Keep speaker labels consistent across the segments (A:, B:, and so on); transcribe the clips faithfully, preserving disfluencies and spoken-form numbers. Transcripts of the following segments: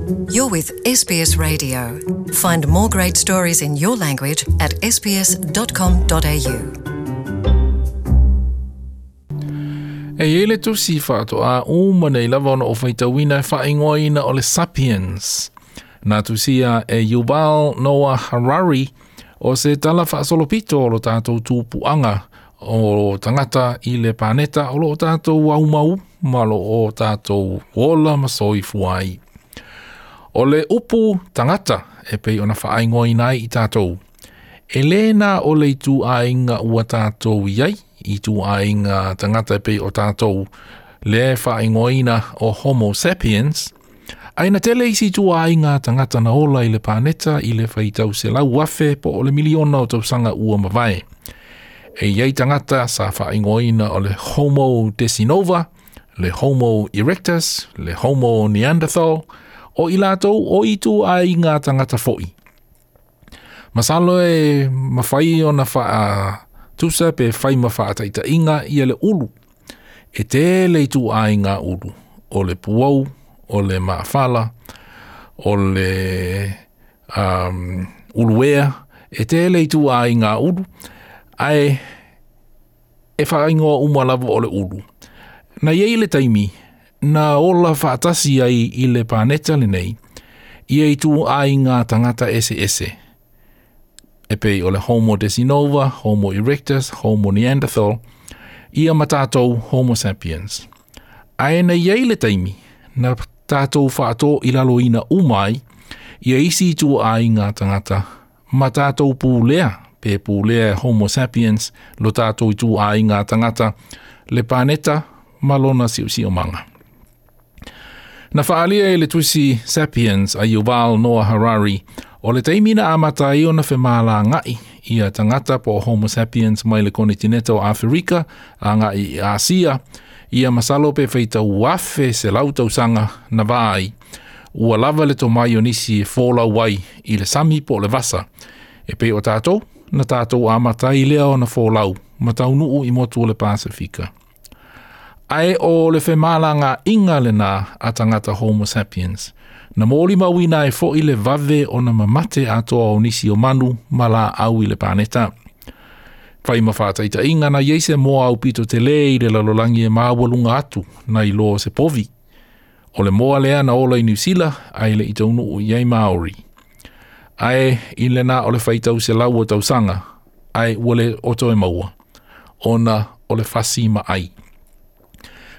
A: You're with S B S Radio. Find more great stories in your language at s b s dot com dot a u.
B: E i le tusi whaatoa uma nei lava ona o whaitauina e whaingoaina o le Sapiens. Nā tusia e Yuval Noah Harari o se tala whaasolopito o lo tātou tūpuanga o tangata i le paneta o lo tātou aumau ma lo o tātou ola masoi fuai. O le upu tangata e pei ona whaingoaina ai i tātou. E lena o le itu ainga ua tātou iai, itu ainga tangata e pei o tātou le whaingoaina o Homo sapiens, aina tele isi itu ainga tangata na ola i le paneta i le whaitau se lau afe po o le miliona o tausanga ua mavae. E iai tangata sa whaingoaina o le Homo desinova, le Homo erectus, le Homo neanderthal, o i lātou o itu ainga tangata foi. Masalo e mawhai o na wha tusa pe whai mawha ataita inga i ele ulu. E tele i tu ainga ulu. O le puau, o le maafala, o le um, uluea. E tele i tu ainga ulu. Ae e whaingoa uma lava o le ulu. Na iei le taimi, na ola whaatasi ai i le paneta le nei, ia i tu ainga tangata ese ese. E pei o le Homo desinova, Homo erectus, Homo neanderthal, ia ma tātou Homo sapiens. Ae na iei le taimi, na tātou whaato i lalo ina umai, ia isi tu ai ngā tangata, ma tātou pūlea, pe pūlea Homo sapiens, lo tātou i tu ai ngā tangata, le paneta, ma lona siu manga. Na whaalia e le tusi Sapiens a Yuval Noah Harari, o le taimina a matai o na whemala ngai ia tangata po Homo sapiens mai le konitineta o Afrika a ngai i Asia, ia masalo pe whaita uafe se lau tausanga na vai, ua lava le tomai o nisi e fōlau ai i le sami po le vasa. E pe o tātou, na tātou a matai lea o na fōlau, matau nuu i motu o le Pasifika. Ae o le whemala ngā inga le nā a tangata Homo sapiens. Na mōli mauina e fo i le vave o na mamate atoa o nisi o manu ma la au i le paneta. Whai mawhātaita inga na iei se moa au pito te le i le lalolangi e māwalunga atu na i loa se povi. O le moa lea na ola i New Zealand ai le i taunu o iei Māori. Ae i le nā o le whaitau se lau o tausanga, ae ua le oto e maua. Ona o le whasi ma ai.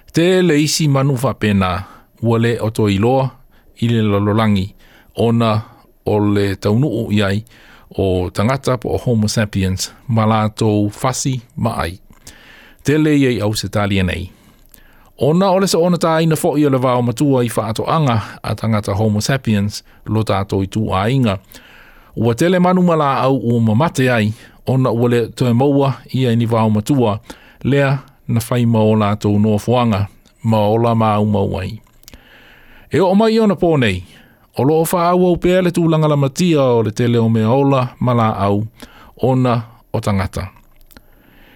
B: Te le isi manu whapena, ua le oto i loa i le lalolangi, ona o le taunuu iai o tangata po o Homo sapiens ma lātou whasi ma ai. Te le iei au se talia nei. Ona o le sa ona tāina fo i o le vao matua i whaatoanga a tangata Homo sapiens lo tātou i tū ainga. Ua tele manu ma la au ua mamate ai, ona ua le toe maua ia ni vao matua, lea na whai ma o lātou noafuanga, ma ola ma au mau ai. E o mai ona pō nei, o loo whaau au pea le tūlanga la matia o le tele o mea ola ma la au, ona o tangata.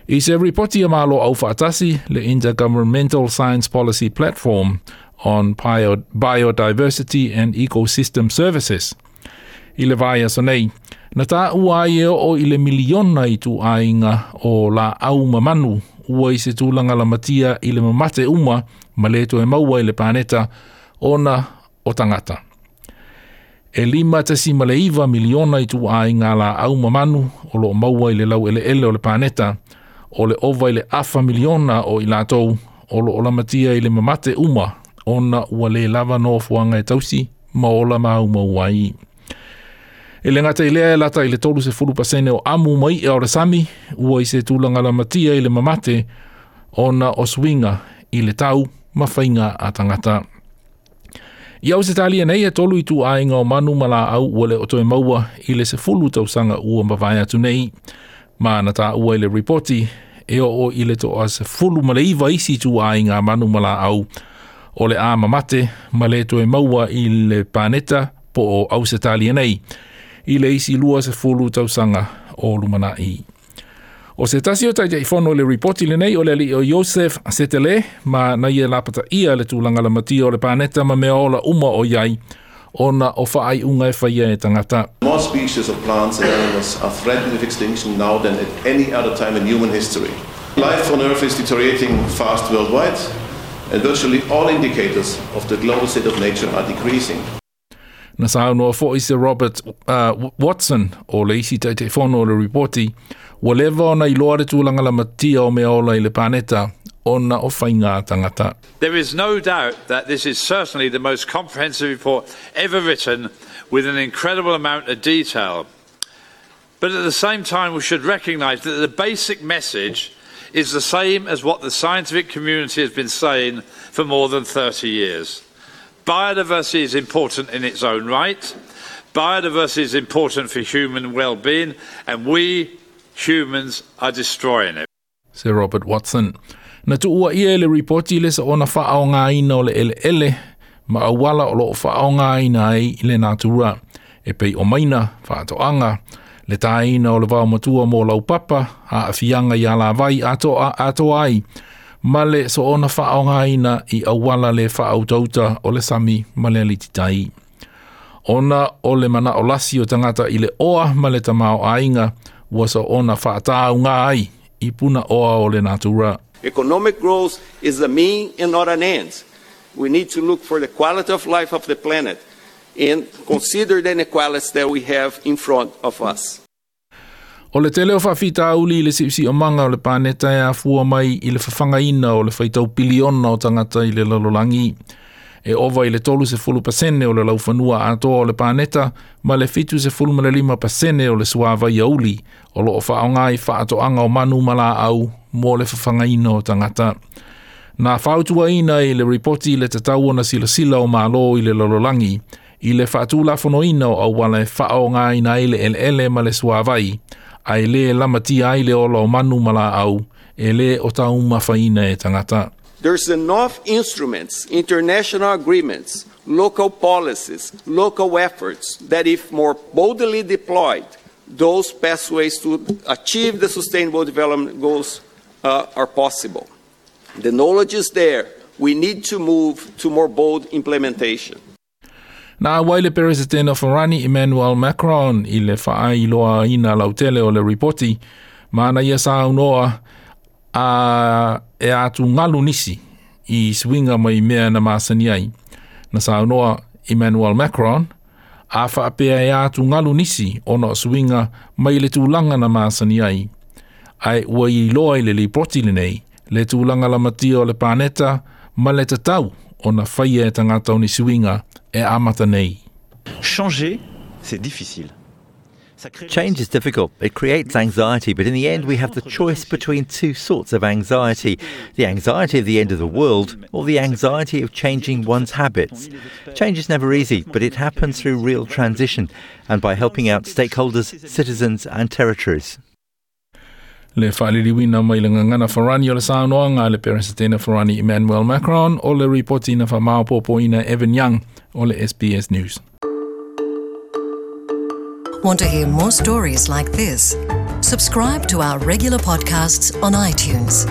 B: I se ripoti a malo au whaatasi le Intergovernmental Science Policy Platform on Biodiversity and Ecosystem Services. I le vai aso nei, na tā ua ai e o i le miliona i tū ainga o la au mamanu ua i se tūlanga la matia i le mamate uma ma le toe maua i le paneta ona o tangata. E lima tasi ma le iwa miliona i tū ainga la au mamanu o lo maua i le lau ele ele o le paneta o le ova i le afa miliona o i lātou o lo o la matia i le mamate uma ona ua le lava nofoanga e tausi ma ola mau mau ai. E le ngata i lea e lata i le tolu se fulu pasene o amu mai e o le sami, ua i se tūlanga la matia i le mamate, ona o swinga i le tau ma whainga a tangata. I au se talia nei e tolu i tū ainga o manu ma la au ua le o toe maua i le se fulu tausanga ua mawai atu nei. Ma na tā ua i le ripoti e o o i le toa se fulu ma le iwa isi tū ainga manu ma la au o le a mamate ma le toe maua i le paneta po o au se talia nei. I le isi lua se fulu tausanga o lumanai. O se tasi o taitai fono le ripoti le nei o le ali o Joseph Setele ma na ia lapata ia le tūlanga la matia o le paneta ma mea ola uma o iai ona o faaiuga e faia e tagata.
C: More species of plants and animals are threatened with extinction now than at any other time in human history. Life on Earth is deteriorating fast worldwide, and virtually all indicators of the global state of nature are decreasing.
B: Na saunoa fo'i Sir Robert uh, Watson o le isi Taitaifono o le ripoti, ua leva ona iloa le tulaga lamatia o mea ola i le paneta ona o faiga a tagata.
D: There is no doubt that this is certainly the most comprehensive report ever written, with an incredible amount of detail. But at the same time, we should recognise that the basic message is the same as what the scientific community has been saying for more than thirty years. Biodiversity is important in its own right. Biodiversity is important for human well-being, and we humans are destroying it.
B: Sir Robert Watson. Na tuuaia e le ripoti le soona faaaogaina o le eleele ma auala o loo faaaogaina ai i le natura. E pei o maina, faatoaga, le taina o le vaomatua mo laupapa, aafiaga i alavai atoa atoa ai, ma le soona faaaogaina i auala le faautauta o le sami ma le alititai. Ona o le manao lasi o tagata i le oa ma le tamaoaiga, ua soona faatauga ai i puna oa o le natura.
E: Economic growth is a mean and not an end. We need to look for the quality of life of the planet and consider the inequalities that we have in front of us.
B: O le tele o faafitauli i le si'osi'omaga o le paneta e afua mai i le fafagaina o le faitau piliona o tagata i le lalolagi. E ova i le tolu sefulu pasene o le laufanua atoa o le paneta ma le fitu sefulu ma le lima pasene o le suavai auli o loo faaaoga i faatoaga o manu ma laau mo le fafagaina o tagata. Na fautuaina i le ripoti le tatau ona silasila o Malo i le lalolagi i le faatulafonoina o auala e faaaogaina ai le eleele ma le suavai, ae lē lamatia ai le ola o manu ma laau e lē o taumafaina e tagata.
E: There's enough instruments, international agreements, local policies, local efforts that if more boldly deployed, those pathways to achieve the Sustainable Development Goals uh, are possible. The knowledge is there. We need to move to more bold implementation.
B: Na auai le Peresetene o Farani Emmanuel Macron i le faailoaina lautele o le ripoti, ma ana ia saunoa a e atugalu nisi i suiga mai mea na masani ai. Na saunoa Emmanuel Macron, a faapea e atugalu nisi ona o suiga mai le tulaga na masani ai. Ae ua iloa i le lipoti lenei, le tulaga lamatia o le paneta ma le tatau ona faia e tagata o ni suiga e amata nei.
F: Changer, c'est difficile.
G: Change is difficult. It creates anxiety, but in the end we have the choice between two sorts of anxiety. The anxiety of the end of the world or the anxiety of changing one's habits. Change is never easy, but it happens through real transition and by helping out stakeholders, citizens and territories.
B: Le faaliliuina mai le gagana Farani o le saunoaga a le Peresetene Farani Emmanuel Macron o le ripoti na faamaopoopoina Evan Young o le S B S News.
A: Want to hear more stories like this? Subscribe to our regular podcasts on iTunes.